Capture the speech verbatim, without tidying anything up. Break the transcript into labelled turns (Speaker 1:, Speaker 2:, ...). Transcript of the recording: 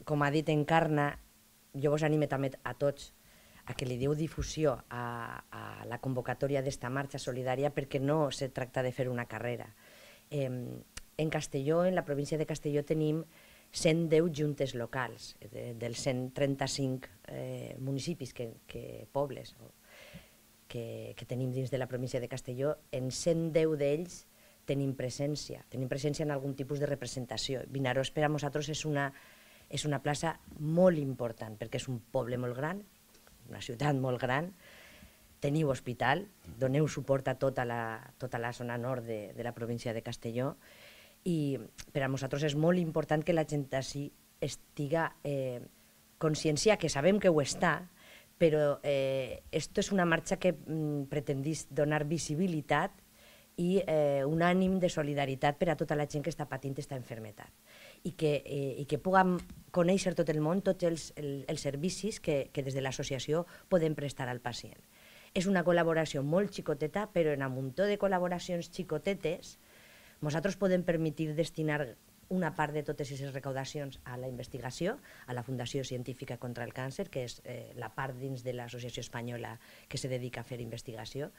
Speaker 1: com ha dit Encarna, jo vos anime també a tots a que li diu difusió a, a la convocatòria d'esta marxa solidària, perquè no se tracta de fer una carrera. Eh, en Castelló, en la província de Castelló, tenim cent deu juntes locals, de, dels cent trenta-cinc eh, municipis, que, que pobles que, que tenim dins de la província de Castelló. En cent deu d'ells tenim presència, tenim presència en algun tipus de representació. Vinaròs per a nosaltres és una, és una plaça molt important, perquè és un poble molt gran, una ciutat molt gran, teniu hospital, doneu suport a tota la, tota la zona nord de, de la província de Castelló, i per a nosaltres és molt important que la gent així estiga eh, consciencia, que sabem que ho està, però eh, esto és una marxa que mm, pretendís donar visibilitat i eh, un ànim de solidaritat per a tota la gent que està patint aquesta malaltia i que, eh, i que puguem conèixer tot el món, tots els, el, els servicis que, que des de l'associació podem prestar al pacient. És una col·laboració molt xicoteta, però en un muntó de col·laboracions xicotetes nosaltres podem permetir destinar una part de totes aquestes recaudacions a la investigació, a la Fundació Científica contra el Càncer, que és eh, la part dins de l'Associació Espanyola que se dedica a fer investigació,